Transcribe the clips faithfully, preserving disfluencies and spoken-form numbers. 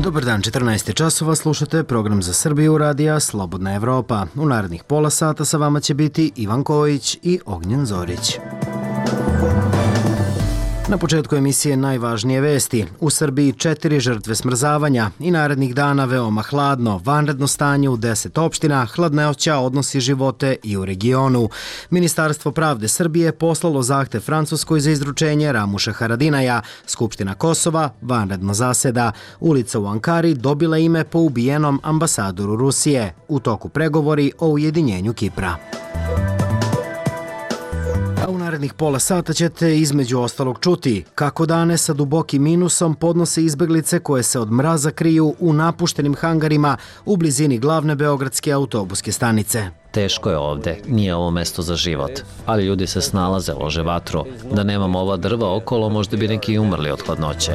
Dobar dan, četrnaest časova, slušate program za Srbiju radija Slobodna Evropa. U narednih pola sata sa vama će biti Ivan Kojić i Ognjen Zorić. Na početku emisije najvažnije vesti. U Srbiji četiri žrtve smrzavanja i narednih dana veoma hladno, vanredno stanje u deset opština, hladnoća odnosi živote i u regionu. Ministarstvo pravde Srbije poslalo zahtev Francuskoj za izručenje Ramuša Haradinaja. Skupština Kosova vanredno zaseda. Ulica u Ankari dobila ime po ubijenom ambasadoru Rusije. U toku pregovori o ujedinjenju Kipra. A u narednih pola sata ćete između ostalog čuti kako dane sa dubokim minusom podnose izbeglice koje se od mraza kriju u napuštenim hangarima u blizini glavne beogradske autobuske stanice. Teško je ovde, nije ovo mesto za život, ali ljudi se snalaze, lože vatru. Da nemamo ova drva okolo, možda bi neki umrli od hladnoće.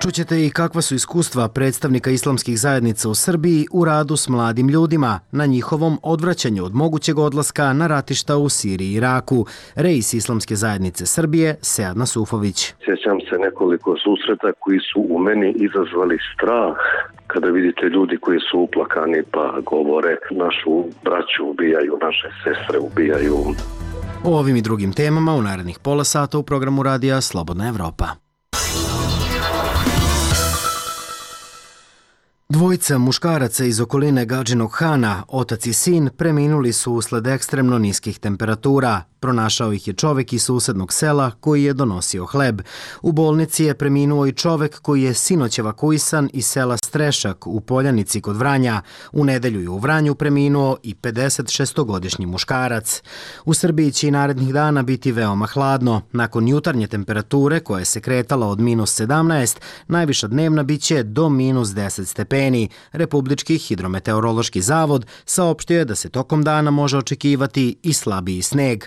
Čućete i kakva su iskustva predstavnika islamskih zajednica u Srbiji u radu s mladim ljudima na njihovom odvraćanju od mogućeg odlaska na ratišta u Siriji i Iraku. Reis Islamske zajednice Srbije, Sead Nasufović. Sjećam se nekoliko susreta koji su u meni izazvali strah. Kada vidite ljudi koji su uplakani pa govore našu braću ubijaju, naše sestre ubijaju. O ovim i drugim temama u narednih pola sata u programu radija Slobodna Evropa. Dvojica muškaraca iz okoline Gadžinog Hana, otac i sin, preminuli su usled ekstremno niskih temperatura. Pronašao ih je čovek iz susednog sela koji je donosio hleb. U bolnici je preminuo i čovek koji je sinoć evakuisan iz sela Strešak u Poljanici kod Vranja. U nedelju je u Vranju preminuo i pedeset šestogodišnji muškarac. U Srbiji će i narednih dana biti veoma hladno. Nakon jutarnje temperature koja se kretala od minus sedamnaest, najviša dnevna biće do minus deset stepeni. Republički hidrometeorološki zavod saopštio je da se tokom dana može očekivati i slabiji sneg.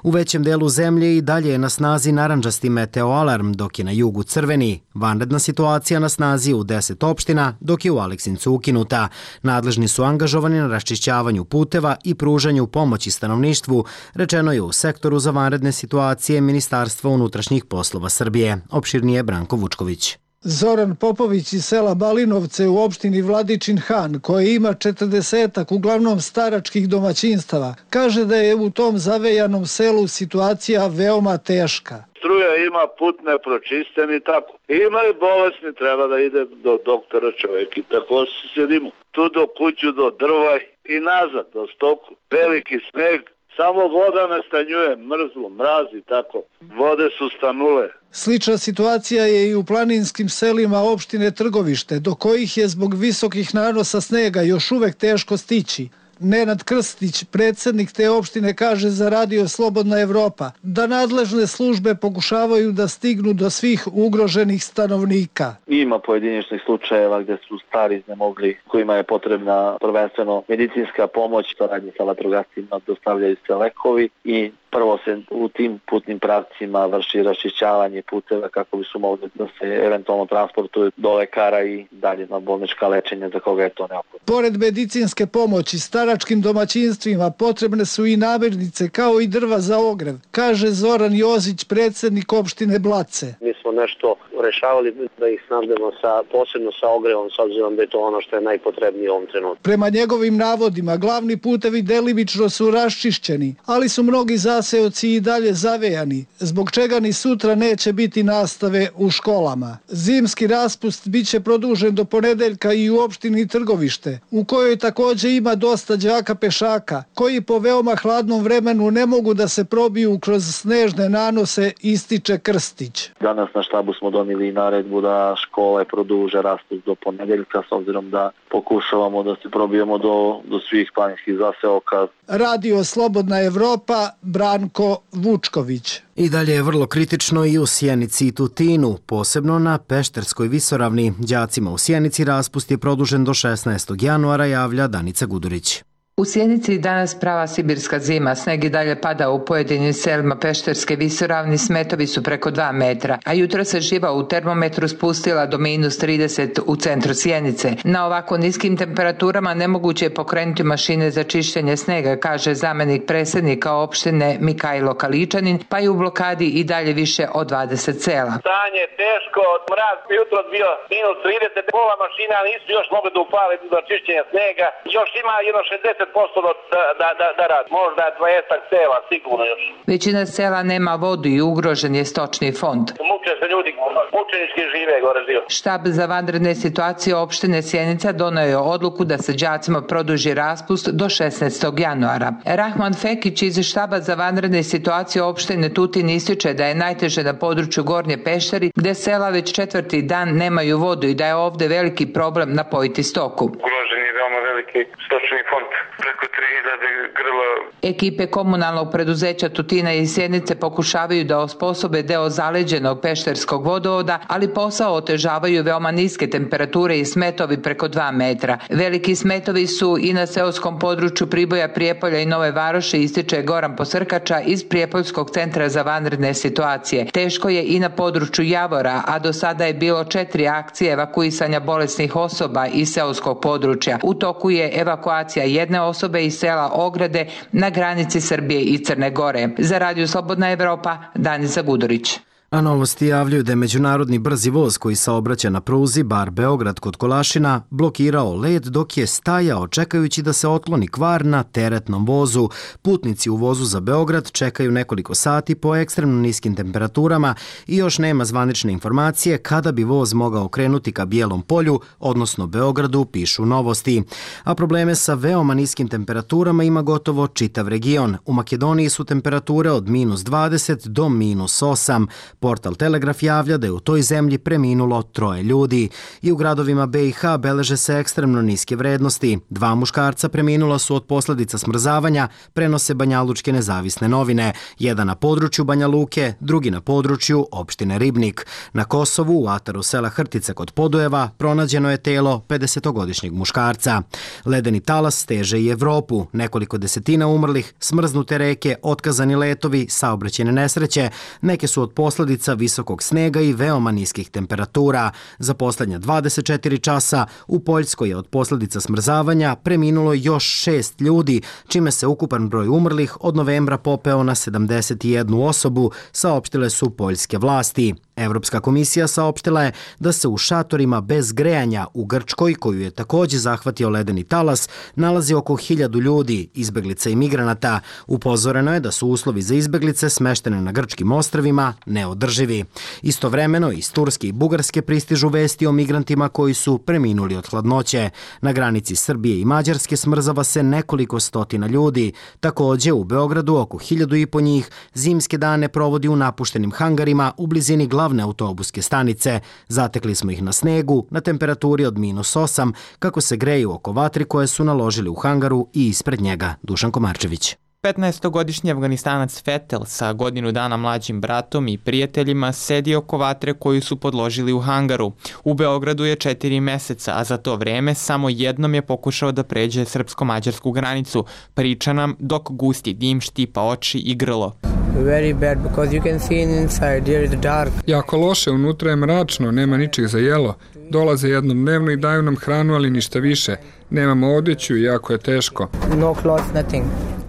U većem delu zemlje i dalje je na snazi narandžasti meteoalarm, dok je na jugu crveni. Vanredna situacija na snazi u deset opština, dok je u Aleksincu ukinuta. Nadležni su angažovani na raščišćavanju puteva i pružanju pomoći stanovništvu, rečeno je u sektoru za vanredne situacije Ministarstva unutrašnjih poslova Srbije. Opširnije Branko Vučković. Zoran Popović iz sela Balinovce u opštini Vladičin Han, koji ima četrdesetak uglavnom staračkih domaćinstava, kaže da je u tom zavejanom selu situacija veoma teška. Struja ima, put ne pročisten i tako. Ima i bolesni, treba da ide do doktora čovjek i tako se sjedimo. Tu do kuću, do drva i nazad, do stoku. Veliki sneg. Samo voda ne stanjuje, mrzlo, mraz i tako. Vode su stanule. Slična situacija je i u planinskim selima opštine Trgovište, do kojih je zbog visokih nanosa snega još uvek teško stići. Nenad Krstić, predsjednik te opštine, kaže za radio Slobodna Evropa da nadležne službe pokušavaju da stignu do svih ugroženih stanovnika. Ima pojedinačnih slučajeva gdje su stari iznemogli, kojima je potrebna prvenstveno medicinska pomoć, saradnje sa vatrogascima, dostavljaju se lekovi i prvo se u tim putnim pravcima vrši raščišćavanje puteva kako bi su mogli da se eventualno transportuju do lekara i dalje na bolnička lečenja za koga je to neophodno. Pored medicinske pomoći staračkim domaćinstvima potrebne su i namirnice kao i drva za ogrev, kaže Zoran Jozić, predsjednik opštine Blace. Mi smo nešto rešavali da ih snabdemo sa, posebno sa ogrevom, s obzirom da je to ono što je najpotrebnije u ovom trenutku. Prema njegovim navodima, glavni putevi delimično su raščišćeni, ali su mnogi zaseoci i dalje zavejani, zbog čega ni sutra neće biti nastave u školama. Zimski raspust biće produžen do ponedeljka i u opštini Trgovište, u kojoj također ima dosta đaka pešaka, koji po veoma hladnom vremenu ne mogu da se probiju kroz snežne nanose, ističe Krstić. Danas na štabu smo donijeli naredbu da škole produže raspust do ponedeljka, s obzirom da pokušavamo da se probijemo do, do svih planinskih zaseoka. Radio Slobodna Evropa, Branko Vučković. I dalje je vrlo kritično i u Sjenici i Tutinu, posebno na Pešterskoj visoravni. Đacima u Sjenici raspust je produžen do šesnaestog januara, javlja Danica Gudurić. U Sjenici danas prava sibirska zima, sneg i dalje pada u pojedinim selima Pešterske visoravni, smetovi su preko dva metra, a jutro se živa u termometru spustila do minus trideset u centru Sjenice. Na ovako niskim temperaturama nemoguće je pokrenuti mašine za čišćenje snega, kaže zamenik predsjednika opštine Mikajlo Kaličanin, pa je u blokadi i dalje više od dvadeset sela. Stanje je teško, mraz jutro bio minus trideset, pola mašina nisu još mogli da upale do čišćenja snega, još ima jedno šezdeset posto da, da, da, da rad, možda dvadeset sela, sigurno još. Većina sela nema vodu i ugrožen je stočni fond. Muče se ljudi, mučenički žive gore dio. Štab za vanredne situacije opštine Sjenica doneo je odluku da se đacima produži raspust do šesnaestog januara. Rahman Fekić iz štaba za vanredne situacije opštine Tutin ističe da je najteže na području Gornje Pešteri, gde sela već četvrti dan nemaju vodu i da je ovde veliki problem napojiti stoku. Ugrožen je veoma veliki stočni fond, preko tri hiljade grla. Ekipe komunalnog preduzeća Tutina i Sjenice pokušavaju da osposobe deo zaleđenog pešterskog vodovoda, ali posao otežavaju veoma niske temperature i smetovi preko dva metra. Veliki smetovi su i na seoskom području Priboja, Prijepolja i Nove Varoši, ističe Goran Posrkača iz Prijepoljskog centra za vanredne situacije. Teško je i na području Javora, a do sada je bilo četiri akcije evakuisanja bolesnih osoba iz seoskog područja. U toku je evakuacija jedne osobe iz sela Ograde na granici Srbije i Crne Gore. Za Radio Slobodna Evropa, Danica Gudurić. A Novosti javljaju da je međunarodni brzi voz koji saobraća na pruzi Bar-Beograd kod Kolašina blokirao led dok je stajao čekajući da se otkloni kvar na teretnom vozu. Putnici u vozu za Beograd čekaju nekoliko sati po ekstremno niskim temperaturama i još nema zvanične informacije kada bi voz mogao krenuti ka Bijelom polju, odnosno Beogradu, pišu Novosti. A probleme sa veoma niskim temperaturama ima gotovo čitav region. U Makedoniji su temperature od minus dvadeset do minus osam. Portal Telegraf javlja da je u toj zemlji preminulo troje ljudi. I u gradovima be i ha beleže se ekstremno niske vrednosti. Dva muškarca preminula su od posljedica smrzavanja, prenose Banjalučke nezavisne novine. Jedan na području Banja Luke, drugi na području opštine Ribnik. Na Kosovu, u ataru sela Hrtica kod Podujeva, pronađeno je telo pedesetogodišnjeg muškarca. Ledeni talas steže i Evropu. Nekoliko desetina umrlih, smrznute reke, otkazani letovi, saobraćajne nesreće. Neke su od posljedica visokog snega i veoma niskih temperatura. Za poslednja dvadeset četiri časa u Poljskoj je od posljedica smrzavanja preminulo još šest ljudi, čime se ukupan broj umrlih od novembra popeo na sedamdeset jednu osobu, saopštile su poljske vlasti. Evropska komisija saopštila je da se u šatorima bez grejanja u Grčkoj, koju je također zahvatio ledeni talas, nalazi oko hiljadu ljudi, izbeglica i migranata. Upozoreno je da su uslovi za izbeglice smeštene na grčkim ostrvima neodrživi. Istovremeno iz Turske i Bugarske pristižu vesti o migrantima koji su preminuli od hladnoće. Na granici Srbije i Mađarske smrzava se nekoliko stotina ljudi. Također u Beogradu oko hiljadu i po njih zimske dane provodi u napuštenim hangarima u blizini glavne autobuske stanice. Zatekli smo ih na snegu, na temperaturi od minus osam, kako se greju oko vatri koje su naložili u hangaru i ispred njega. Dušan Komarčević. petnaestogodišnji Afganistanac Fetel sa godinu dana mlađim bratom i prijateljima sedi oko vatre koju su podložili u hangaru. U Beogradu je četiri meseca, a za to vreme samo jednom je pokušao da pređe srpsko-mađarsku granicu. Priča nam dok gusti dim štipa oči i grlo. Very bad because you can see inside here is dark. Jako loše, unutra je mračno, nema ničeg za jelo. Dolaze jednom dnevno i daju nam hranu, ali ništa više. Nemamo odeću i jako je teško. No clothes, nothing.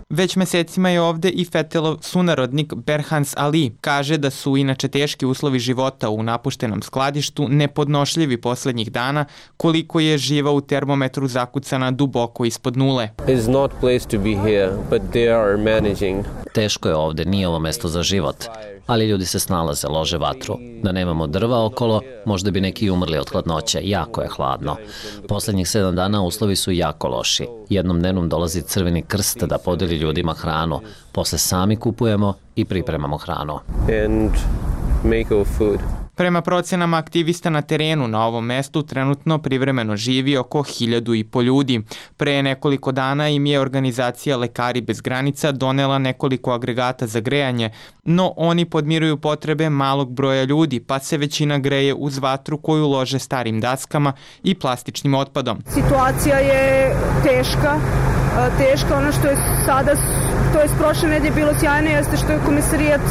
Već mesecima je ovde i Fetelov sunarodnik Berhans Ali. Kaže da su inače teški uslovi života u napuštenom skladištu nepodnošljivi poslednjih dana, koliko je živa u termometru zakucana duboko ispod nule. It's not place to be here, but they are managing. Teško je ovde, nije ovo mesto za život. Ali ljudi se snalaze, lože vatru. Da nemamo drva okolo, možda bi neki umrli od hladnoće. Jako je hladno. Poslednjih sedam dana uslovi su jako loši. Jednom dnevnom dolazi Crveni krst da podeli ljudima hranu. Posle sami kupujemo i pripremamo hranu. And make our food. Prema procenama aktivista na terenu na ovom mestu trenutno privremeno živi oko hiljadu i po ljudi. Pre nekoliko dana im je organizacija Lekari bez granica donela nekoliko agregata za grejanje, no oni podmiruju potrebe malog broja ljudi, pa se većina greje uz vatru koju lože starim daskama i plastičnim otpadom. Situacija je teška. teška. Ono što je sada, to je prošle nedelje bilo sjajno, jeste što je komisarijat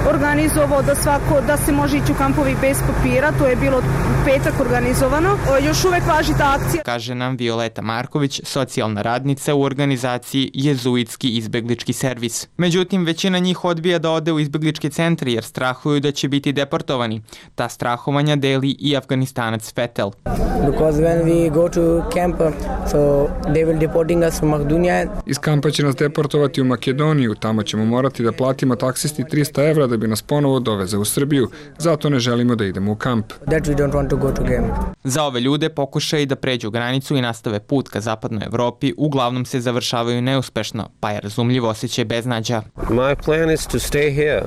organizovao da svako, da se može ići u kampovi bez papira, to je bilo u petak organizovano. Još uvek važi ta akcija. Kaže nam Violeta Marković, socijalna radnica u organizaciji Jezuitski izbeglički servis. Međutim, većina njih odbija da ode u izbegličke centre jer strahuju da će biti deportovani. Ta strahovanja deli i Afganistanac Fetel. Because when we go to camp, so they will deporting us from Makedonija. Iz kampa će nas deportovati u Makedoniju, tamo ćemo morati da platimo taksisti trista evra da bi nas ponovo doveze u Srbiju, zato ne želimo da idemo u kamp. That we don't want to go to camp. Za ove ljude pokušaj da pređu granicu i nastave put ka zapadnoj Evropi uglavnom se završavaju neuspešno, pa je razumljivo osjećaj beznađa. My plan is to stay here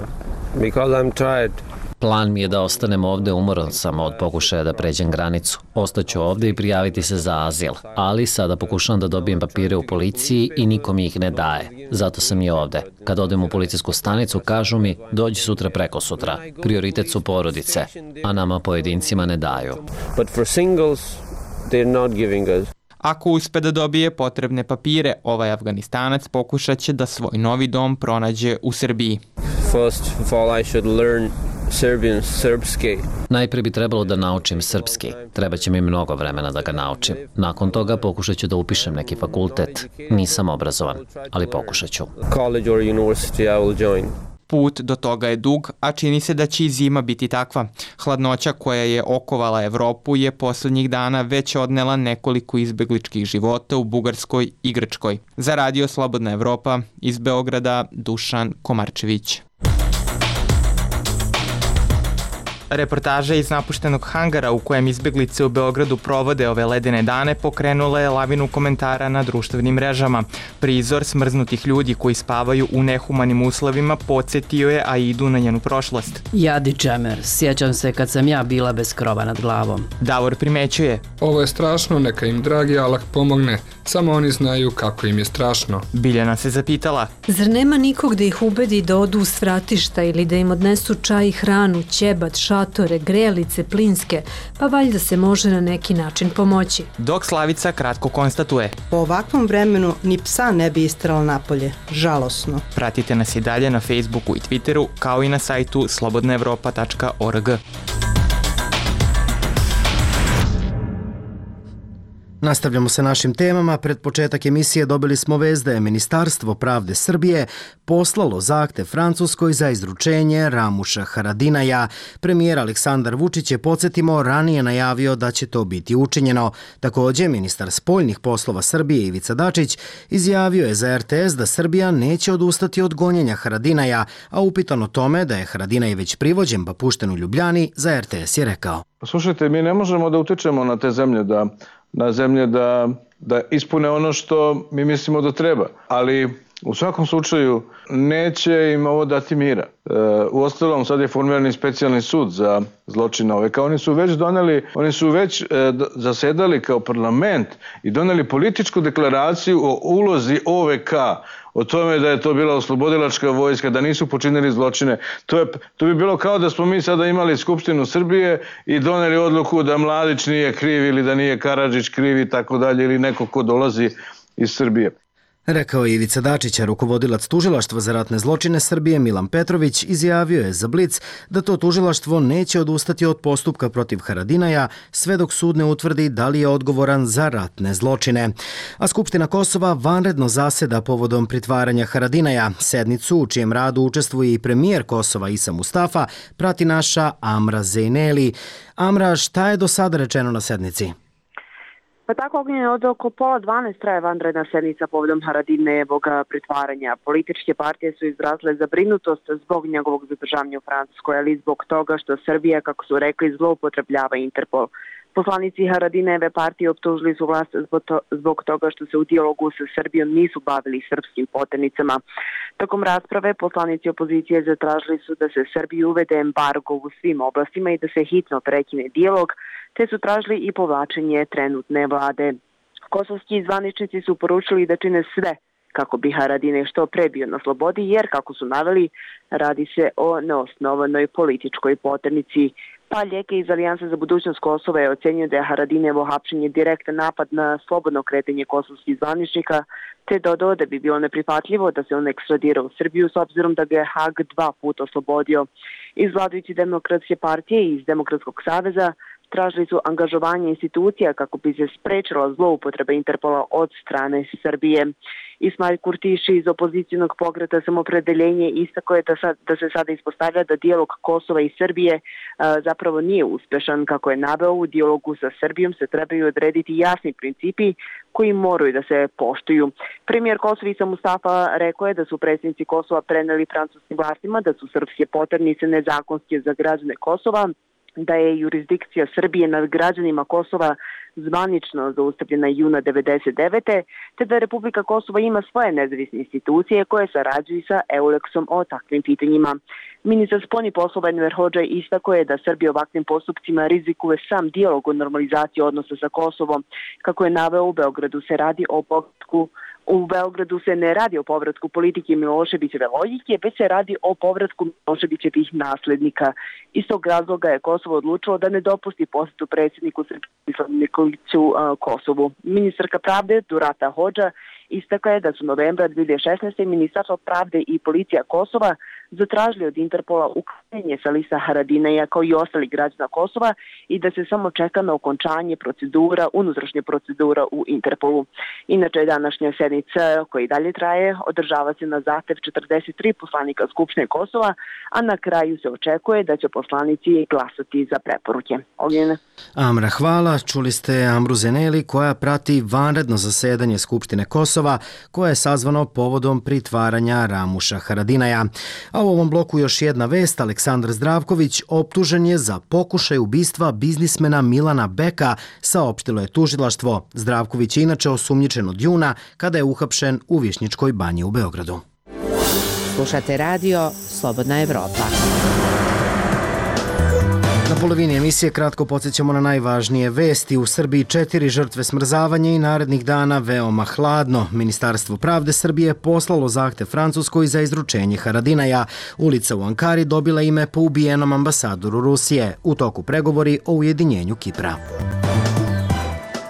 because I'm tired. Plan mi je da ostanem ovde, umoran sam od pokušaja da pređem granicu. Ostaću ovde i prijaviti se za azil, ali sada pokušavam da dobijem papire u policiji i niko mi ih ne daje. Zato sam i ovde. Kad odem u policijsku stanicu, kažu mi dođi sutra preko sutra. Prioritet su porodice, a nama pojedincima ne daju. But for singles, they're not giving us. Ako uspe da dobije potrebne papire, ovaj Afganistanac pokušat će da svoj novi dom pronađe u Srbiji. First of all, I should learn Serbian, srpski. Najprije bi trebalo da naučim srpski. Treba će mi mnogo vremena da ga naučim. Nakon toga pokušat ću da upišem neki fakultet. Nisam obrazovan, ali pokušat ću. College or university I will join. Put do toga je dug, a čini se da će i zima biti takva. Hladnoća koja je okovala Evropu je poslednjih dana već odnela nekoliko izbegličkih života u Bugarskoj i Grčkoj. Za Radio Slobodna Evropa iz Beograda, Dušan Komarčević. Reportaža iz napuštenog hangara u kojem izbeglice u Beogradu provode ove ledene dane pokrenula je lavinu komentara na društvenim mrežama. Prizor smrznutih ljudi koji spavaju u nehumanim uslovima podsjetio je Aidu na njenu prošlost. Jadi džemer, sjećam se kad sam ja bila bez krova nad glavom. Davor primećuje. Ovo je strašno, neka im dragi Allah pomogne. Samo oni znaju kako im je strašno. Biljana se zapitala. Zar nema nikog da ih ubedi da odu u svratišta ili da im odnesu čaj i hranu, ćebat, šatore, grelice, plinske, pa valjda se može na neki način pomoći. Dok Slavica kratko konstatuje. Po ovakvom vremenu ni psa ne bi istrala napolje. Žalosno. Pratite nas i dalje na Facebooku i Twitteru, kao i na sajtu slobodna evropa tačka org. Nastavljamo sa našim temama. Pred početak emisije dobili smo vest da je Ministarstvo pravde Srbije poslalo zahtev Francuskoj za izručenje Ramuša Haradinaja. Premijer Aleksandar Vučić je, podsjetimo, ranije najavio da će to biti učinjeno. Također, ministar spoljnih poslova Srbije Ivica Dačić izjavio je za er te es da Srbija neće odustati od gonjenja Haradinaja, a upitan o tome da je Haradinaj već privođen pa pušten u Ljubljani, za er te es je rekao. Slušajte, mi ne možemo da utičemo na te zemlje da na zemlje da, da ispune ono što mi mislimo da treba. Ali u svakom slučaju neće im ovo dati mira. E, u ostalom sad je formirani specijalni sud za zločine ove. Kao oni su već doneli, oni su već e, zasedali kao parlament i doneli političku deklaraciju o ulozi o ve ka, o tome da je to bila oslobodilačka vojska, da nisu počinili zločine. To, je, to bi bilo kao da smo mi sada imali Skupštinu Srbije i doneli odluku da Mladić nije kriv ili da nije Karadžić kriv i tako dalje, ili neko ko dolazi iz Srbije. Rekao je Ivica Dačić, a rukovodilac tužilaštva za ratne zločine Srbije Milan Petrović izjavio je za Blic da to tužilaštvo neće odustati od postupka protiv Haradinaja sve dok sud ne utvrdi da li je odgovoran za ratne zločine. A Skupština Kosova vanredno zaseda povodom pritvaranja Haradinaja. Sednicu u čijem radu učestvuje i premijer Kosova Isa Mustafa prati naša Amra Zejneli. Amra, šta je do sada rečeno na sednici? Pa tako, Ognjen, od oko pola dvanaest traje vanredna sednica povodom Haradinajevog pritvaranja. Političke partije su izrazile zabrinutost zbog njegovog zadržavanja u Francuskoj, ali zbog toga što Srbija, kako su rekli, zloupotrebljava Interpol. Poslanici Haradinajeve partije optužili su vlast zbog toga što se u dijalogu sa Srbijom nisu bavili srpskim poternicama. Tokom rasprave poslanici opozicije zatražili su da se Srbiji uvede embargo u svim oblastima i da se hitno prekine dijalog, te su tražili i povlačenje trenutne vlade. Kosovski zvaničnici su poručili da čine sve kako bi Haradinaj što pre bio na slobodi, jer, kako su naveli, radi se o neosnovanoj političkoj poternici. Pa Ljeke iz Alijanse za budućnost Kosova je ocenio da je Haradinajevo hapšenje direktan napad na slobodno kretanje kosovskih zvaničnika, te dodao da bi bilo neprihvatljivo da se on ekstradira u Srbiju s obzirom da ga je Hag dva puta oslobodio. Iz vladajuće demokratske partije i iz Demokratskog saveza tražili su angažovanje institucija kako bi se sprečila zloupotreba Interpola od strane Srbije. Ismail Kurtiši iz opozicijnog pokreta Samopredeljenje istakao je da, sad, da se sada ispostavlja da dijalog Kosova i Srbije a, zapravo nije uspešan. Kako je naveo, u dijalogu sa Srbijom se trebaju odrediti jasni principi koji moraju da se poštuju. Premijer Kosova Isa Mustafa rekao je da su predsjednici Kosova preneli francuskim vlastima da su srpske poternice nezakonske za građane Kosova, da je jurisdikcija Srbije nad građanima Kosova zvanično zaustavljena juna devedeset devete te da Republika Kosova ima svoje nezavisne institucije koje sarađuju sa Euleksom o takvim pitanjima. Ministar spoljnih poslova Enver Hodža istakao je da Srbija ovakvim postupcima rizikuje sam dijalog o normalizaciji odnosa sa Kosovom. Kako je naveo, u Beogradu se radi o povratku U Beogradu se ne radi o povratku politike Miloševićeve logike, već se radi o povratku Miloševićevih naslednika. Iz tog razloga je Kosovo odlučilo da ne dopusti posjetu predsjedniku Srbije Nikoliću Kosovu. Ministarka pravde Durata Hodža istakla je da su novembra dve hiljade šesnaeste. Ministarstvo pravde i policija Kosova zatražili od Interpola uklanjanje sa lista Haradinaja kao i ostali građana Kosova i da se samo čeka na okončanje procedura, unutrašnje procedura u Interpolu. Inače, današnja sednica koja i dalje traje održava se na zahtev četrdeset tri poslanika Skupštine Kosova, a na kraju se očekuje da će poslanici glasati za preporuke. Ognjene. Amra, hvala. Čuli ste Amru Zeneli koja prati vanredno zasedanje Skupštine Kosova koje je sazvano povodom pritvaranja Ramuša Haradinaja. A u ovom bloku još jedna vest. Aleksandar Zdravković optužen je za pokušaj ubistva biznismena Milana Beka, saopštilo je tužilaštvo. Zdravković je inače osumnjičen od juna kada je uhapšen u Višnjičkoj banji u Beogradu. Slušate radio Slobodna Evropa. Na polovini emisije kratko podsjećamo na najvažnije vesti. U Srbiji četiri žrtve smrzavanja i narednih dana veoma hladno. Ministarstvo pravde Srbije poslalo zahtev Francuskoj za izručenje Haradinaja. Ulica u Ankari dobila ime po ubijenom ambasadoru Rusije. U toku pregovori o ujedinjenju Kipra.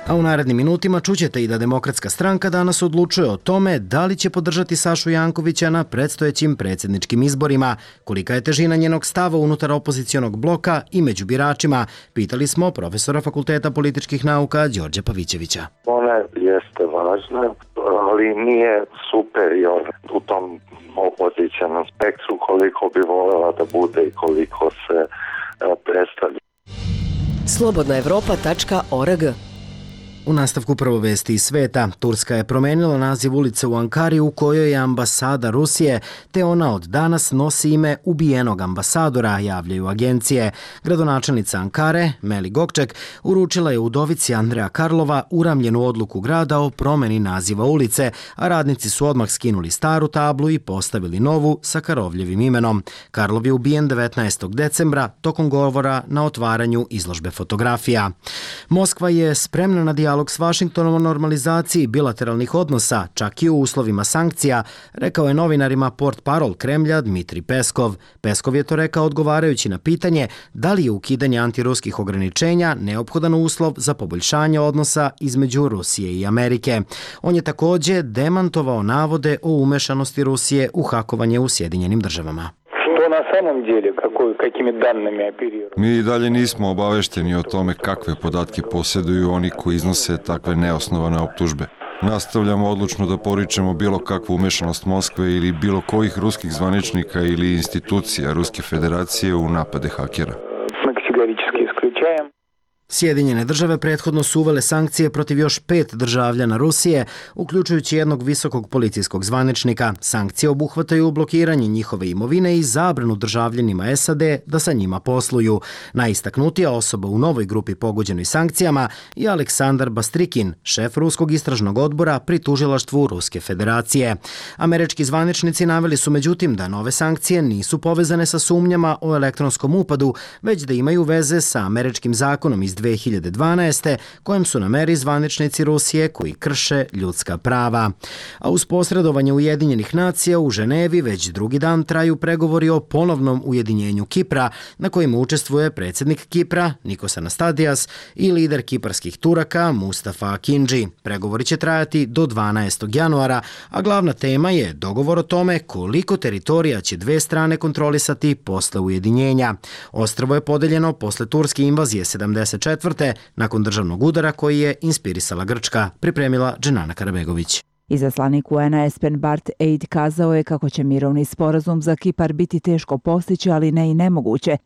A u narednim minutima čućete i da Demokratska stranka danas odlučuje o tome da li će podržati Sašu Jankovića na predstojećim predsjedničkim izborima. Kolika je težina njenog stava unutar opozicionog bloka i među biračima, pitali smo profesora Fakulteta političkih nauka Đorđa Pavićevića. Ona jeste važna, ali nije superior u tom opozicionom spektru koliko bi voljela da bude i koliko se predstavlja. slobodna evropa tačka org. U nastavku prvo vesti iz sveta, Turska je promenila naziv ulice u Ankari u kojoj je ambasada Rusije, te ona od danas nosi ime ubijenog ambasadora, javljaju agencije. Gradonačelnica Ankare, Meli Gokček, uručila je udovici Andreja Karlova uramljenu odluku grada o promeni naziva ulice, a radnici su odmah skinuli staru tablu i postavili novu sa Karovljevim imenom. Karlov je ubijen devetnaestog decembra tokom govora na otvaranju izložbe fotografija. Moskva je spremna na dijalog s Vašingtonom o normalizaciji bilateralnih odnosa, čak i u uslovima sankcija, rekao je novinarima portparol Kremlja Dmitri Peskov. Peskov je to rekao odgovarajući na pitanje da li je ukidanje antiruskih ograničenja neophodan uslov za poboljšanje odnosa između Rusije i Amerike. On je također demantovao navode o umešanosti Rusije u hakovanje u Sjedinjenim državama. Mi i dalje nismo obavešteni o tome kakve podatke posjeduju oni koji iznose takve neosnovane optužbe. Nastavljamo odlučno da poričemo bilo kakvu umešanost Moskve ili bilo kojih ruskih zvaničnika ili institucija Ruske federacije u napade hakera. Sjedinjene države prethodno su uvele sankcije protiv još pet državljana Rusije, uključujući jednog visokog policijskog zvaničnika. Sankcije obuhvataju blokiranje njihove imovine i zabranu državljanima S A D da sa njima posluju. Najistaknutija osoba u novoj grupi pogođenoj sankcijama je Aleksandar Bastrikin, šef Ruskog istražnog odbora pri tužilaštvu Ruske federacije. Američki zvaničnici naveli su međutim da nove sankcije nisu povezane sa sumnjama o elektronskom upadu, već da imaju veze sa američkim zakonom iz dve dve hiljade dvanaeste kojem su na meri zvaničnici Rusije koji krše ljudska prava. A uz posredovanje Ujedinjenih nacija u Ženevi već drugi dan traju pregovori o ponovnom ujedinjenju Kipra, na kojima učestvuje predsjednik Kipra Nikos Anastasiades i lider kiparskih Turaka Mustafa Akinci. Pregovori će trajati do dvanaestog januara, a glavna tema je dogovor o tome koliko teritorija će dve strane kontrolisati posle ujedinjenja. Ostrvo je podeljeno posle turske invazije sedamdeset četvrte nakon državnog udara koji je inspirisala Grčka, pripremila Dženana Karabegović. Izaslanik U N-a Espen Barth Eid kazao je kako će mirovni sporazum za Kipar biti teško postići, ali ne i nemoguće.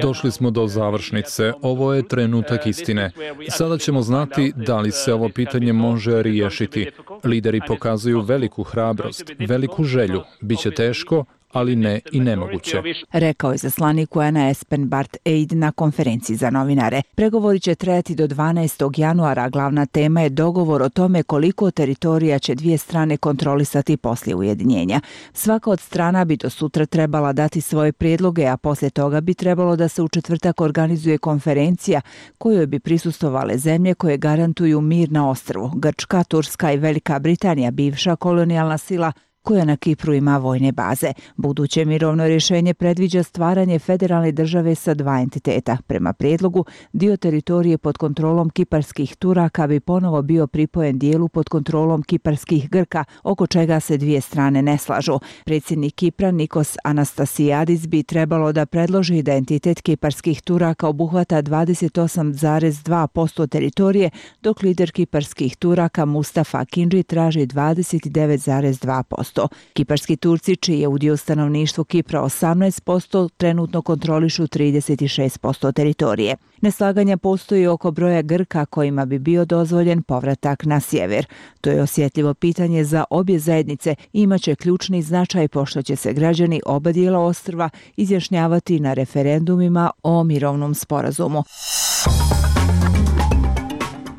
Došli smo do završnice. Ovo je trenutak istine. Sada ćemo znati da li se ovo pitanje može riješiti. Lideri pokazuju veliku hrabrost, veliku želju. Biće teško, ali ne i nemoguće. Rekao je izaslanik U N-a Espen Barth Eid na konferenciji za novinare. Pregovori će trajati do dvanaestog januara. Glavna tema je dogovor o tome koliko teritorija će dvije strane kontrolisati poslije ujedinjenja. Svaka od strana bi do sutra trebala dati svoje prijedloge, a poslije toga bi trebalo da se u četvrtak organizuje konferencija kojoj bi prisustvovale zemlje koje garantuju mir na ostrvu. Grčka, Turska i Velika Britanija, bivša kolonijalna sila koja na Kipru ima vojne baze. Buduće mirovno rješenje predviđa stvaranje federalne države sa dva entiteta. Prema prijedlogu, dio teritorije pod kontrolom kiparskih Turaka bi ponovo bio pripojen dijelu pod kontrolom kiparskih Grka, oko čega se dvije strane ne slažu. Predsjednik Kipra Nikos Anastasiades bi trebalo da predloži da entitet kiparskih Turaka obuhvata dvadeset osam zarez dva posto teritorije, dok lider kiparskih Turaka Mustafa Akinci traži dvadeset devet zarez dva posto. Kiparski Turci, čiji je udio stanovništvu Kipra osamnaest posto, trenutno kontrolišu trideset šest posto teritorije. Neslaganja postoji oko broja Grka kojima bi bio dozvoljen povratak na sjever. To je osjetljivo pitanje za obje zajednice i imaće ključni značaj pošto će se građani oba dijela ostrva izjašnjavati na referendumima o mirovnom sporazumu.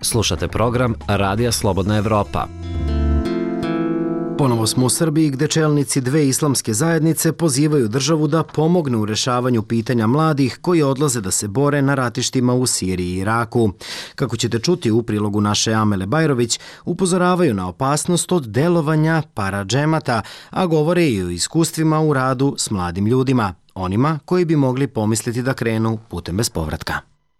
Slušate program Radija Slobodna Evropa. Ponovo smo u Srbiji gde čelnici dve islamske zajednice pozivaju državu da pomogne u rešavanju pitanja mladih koji odlaze da se bore na ratištima u Siriji i Iraku. Kako ćete čuti u prilogu naše Amele Bajrović, upozoravaju na opasnost od delovanja paradžemata, a govore i o iskustvima u radu s mladim ljudima, onima koji bi mogli pomisliti da krenu putem bez povratka.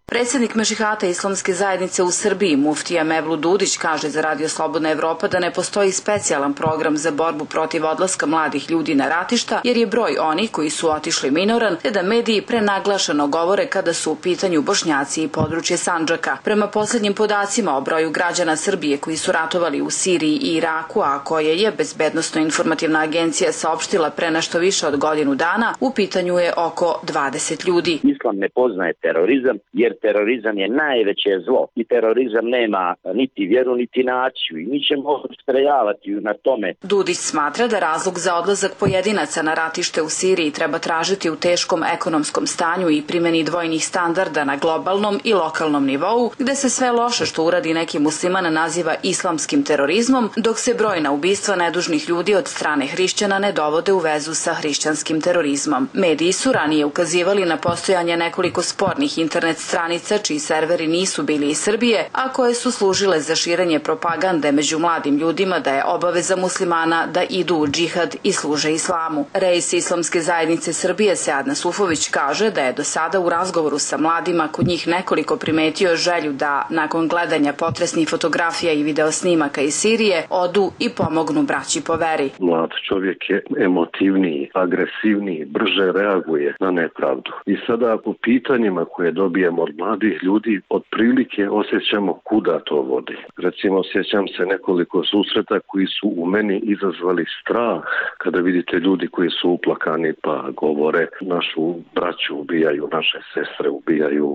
Predsjednik Mešihata Islamske zajednice u Srbiji, muftija Mevlut Dudić, kaže za Radio Slobodna Evropa da ne postoji specijalan program za borbu protiv odlaska mladih ljudi na ratišta, jer je broj onih koji su otišli minoran, te da mediji prenaglašeno govore kada su u pitanju Bošnjaci i područje Sandžaka. Prema posljednjim podacima o broju građana Srbije koji su ratovali u Siriji i Iraku, a koje je Bezbednosno-informativna agencija saopštila pre nešto više od godinu dana, u pitanju je oko dvadeset ljudi. Islam ne poznaje terorizam, jer terorizam je najveće zlo i terorizam nema niti vjeru niti naciju i mi ćemo ustrajavati na tome. Dudić smatra da razlog za odlazak pojedinaca na ratište u Siriji treba tražiti u teškom ekonomskom stanju i primjeni dvojnih standarda na globalnom i lokalnom nivou, gde se sve loše što uradi neki musliman naziva islamskim terorizmom, dok se brojna ubistva nedužnih ljudi od strane hrišćana ne dovode u vezu sa hrišćanskim terorizmom. Mediji su ranije ukazivali na postojanje nekoliko spornih internet stranica čiji serveri nisu bili iz Srbije, a koje su služile za širenje propagande među mladim ljudima da je obaveza muslimana da idu u džihad i služe islamu. Reis Islamske zajednice Srbije Sead Nasufović kaže da je do sada u razgovoru sa mladima kod njih nekoliko primetio želju da, nakon gledanja potresnih fotografija i videosnimaka iz Sirije, odu i pomognu braći po veri. Mlad čovjek je emotivniji, agresivniji, brže reaguje na nepravdu. I sada po pitanjima koje dobijemo od mladih ljudi otprilike osjećamo kuda to vodi. Recimo, osjećam se nekoliko susreta koji su u meni izazvali strah kada vidite ljudi koji su uplakani pa govore našu braću ubijaju, naše sestre ubijaju.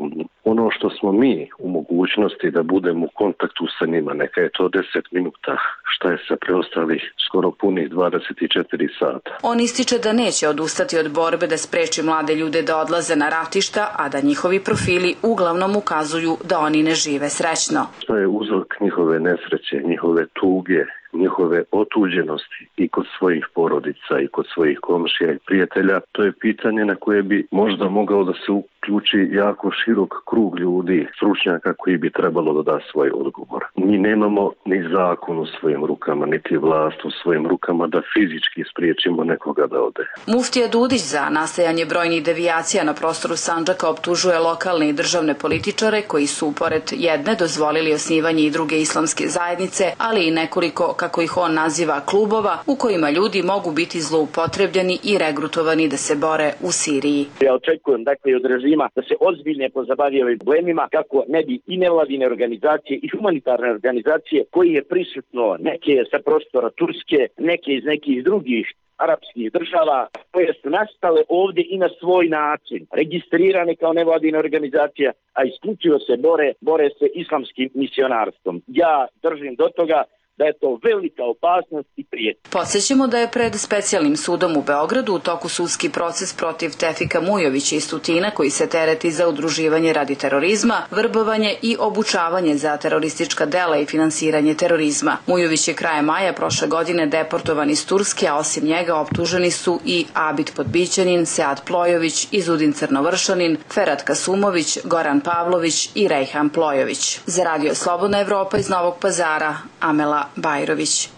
Ono što smo mi u mogućnosti da budemo u kontaktu sa njima, neka je to deset minuta, šta je sa preostalih skoro punih dvadeset četiri sata. On ističe da neće odustati od borbe da spreči mlade ljude da odlaze na ratišta, a da njihovi profili uglavnom ukazuju da oni ne žive srećno. Šta je uzrok njihove nesreće, njihove tuge, njihove otuđenosti i kod svojih porodica i kod svojih komšija i prijatelja, to je pitanje na koje bi možda mogao da se uključi jako širok krug ljudi, stručnjaka koji bi trebalo da da svoj odgovor. Mi nemamo ni zakon u svojim rukama, niti vlast u svojim rukama da fizički spriječimo nekoga da ode. Muftija Dudić za nastajanje brojnih devijacija na prostoru Sandžaka optužuje lokalne i državne političare koji su, pored jedne, dozvolili osnivanje i druge islamske zajednice, ali i nekoliko, kako ih on naziva, klubova u kojima ljudi mogu biti zloupotrebljeni i regrutovani da se bore u Siriji. Ja očekujem dakle od režima da se ozbiljne pozabavi ovim problemima kako ne bi i nevladine organizacije i humanitarne organizacije koji je prisutno neke sa prostora Turske, neke iz nekih drugih arapskih država koje su nastale ovdje i na svoj način, registrirane kao nevladine organizacije, a isključivo se bore, bore se islamskim misionarstvom. Ja držim do toga da je to velika opasnost i prijetnja. Podsjećamo da je pred specijalnim sudom u Beogradu u toku sudski proces protiv Tefika Mujovića iz Tutina koji se tereti za udruživanje radi terorizma, vrbovanje i obučavanje za teroristička dela i finansiranje terorizma. Mujović je krajem maja prošle godine deportovan iz Turske, a osim njega optuženi su i Abid Podbićanin, Sead Plojović, Izudin Crnovršanin, Ferhat Kasumović, Goran Pavlović i Rejhan Plojović. Za Radio Slobodna Evropa iz Novog Pazara, Amela Bajrović.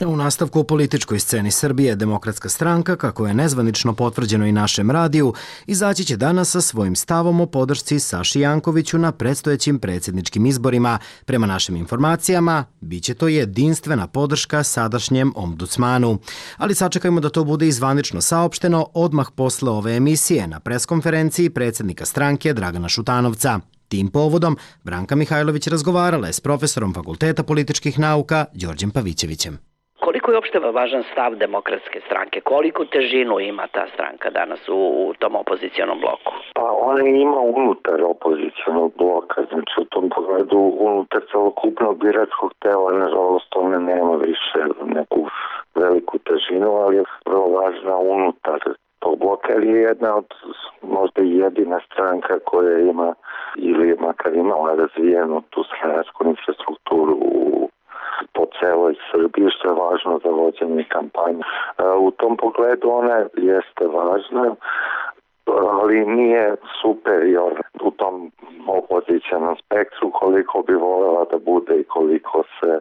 U nastavku o političkoj sceni Srbije, Demokratska stranka, kako je nezvanično potvrđeno i našem radiju, izaći će danas sa svojim stavom o podršci Saši Jankoviću na predstojećim predsjedničkim izborima. Prema našim informacijama, bit će to jedinstvena podrška sadašnjem ombudsmanu. Ali sačekajmo da to bude i zvanično saopšteno odmah posle ove emisije na preskonferenciji predsjednika stranke Dragana Šutanovca. Tim povodom Branka Mihajlović razgovarala je s profesorom Fakulteta političkih nauka Đorđem Pavićevićem. Koliko je uopšte važan stav Demokratske stranke? Koliko težinu ima ta stranka danas u, u tom opozicionom bloku? Pa ona ima unutar opozicionog bloka, znači u tom pogledu unutar celokupnog biračkog tela, nažalost ona nema više neku veliku težinu, ali je vrlo važna unutar tog bloka, ali je jedna od možda i jedina stranka koja ima ili makar imala razvijenu tu stranačku infrastrukturu u po celoj Srbiji, što je važno za vođenje kampanje. U tom pogledu ona jeste važna, ali nije superior u tom opozicionom spektru koliko bi voljela da bude i koliko se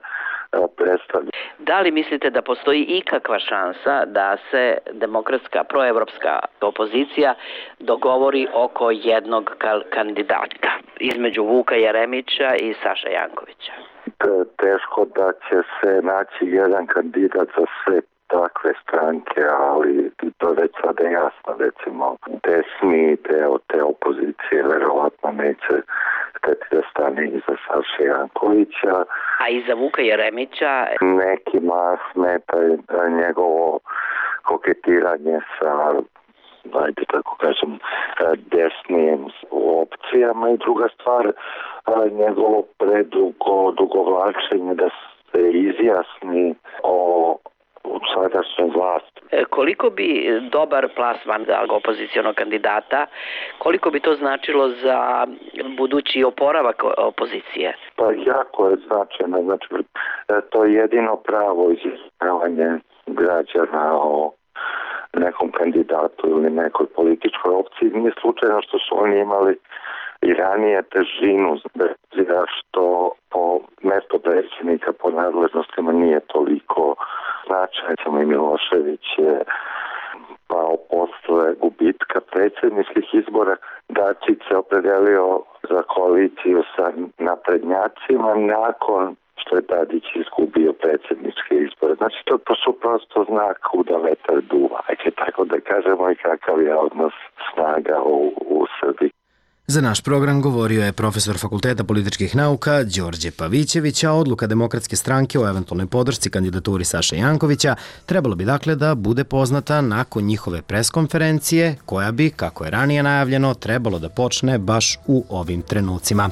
predstavlja. Da li mislite da postoji ikakva šansa da se demokratska, proevropska opozicija dogovori oko jednog kandidata između Vuka Jeremića i Saše Jankovića? Teško da će se naći jedan kandidat za sve takve stranke, ali to već sada je jasno, recimo desni deo te opozicije verovatno neće hteti da stane iza Saše Jankovića. A iza Vuka Jeremića? Nekima smeta njegovo koketiranje sa, ajde tako kažem, desnim opcijama i druga stvar, njegovo predugo dugovlačenje da se izjasni o sadašnjoj vlasti. Koliko bi dobar plasman opozicionog kandidata, koliko bi to značilo za budući oporavak opozicije? Pa jako je značajno, znači to je jedino pravo izjašnjavanje građana o nekom kandidatu ili nekoj političkoj opciji. Nije slučajno što su oni imali i ranije težinu, što po mesto predsjednika po nadležnostima nije toliko značajno. I Milošević je pao posle gubitka predsjedničkih izbora. Dačić se opredelio za koaliciju sa naprednjacima nakon što je Tadić izgubio predsjedničke izbore. Znači to, to su prosto znak kuda vetar duva. Ajde tako da kažemo i kakav je odnos snaga u, u Srbiji. Za naš program govorio je profesor Fakulteta političkih nauka Đorđe Pavićević, a odluka Demokratske stranke o eventualnoj podršci kandidaturi Saše Jankovića trebalo bi dakle da bude poznata nakon njihove preskonferencije, koja bi, kako je ranije najavljeno, trebalo da počne baš u ovim trenucima.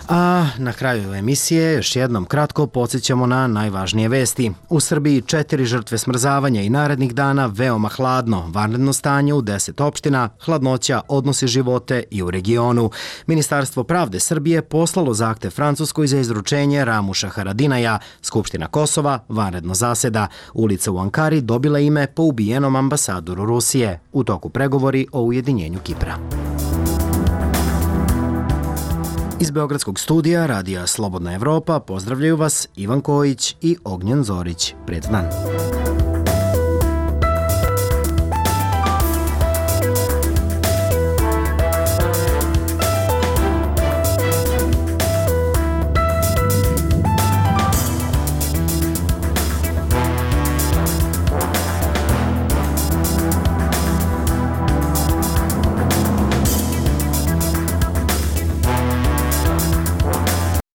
A na kraju emisije još jednom kratko podsjećamo na najvažnije vesti. U Srbiji četiri žrtve smrzavanja i narednih dana veoma hladno, vanredno stanje u deset opština, hladnoća odnosi živote i u regionu. Ministarstvo pravde Srbije poslalo zahtev Francuskoj za izručenje Ramuša Haradinaja. Skupština Kosova vanredno zaseda. Ulica u Ankari dobila ime po ubijenom ambasadoru Rusije. U toku pregovori o ujedinjenju Kipra. Iz Beogradskog studija Radija Slobodna Evropa pozdravljaju vas Ivan Kojić i Ognjen Zorić. Prijatan dan.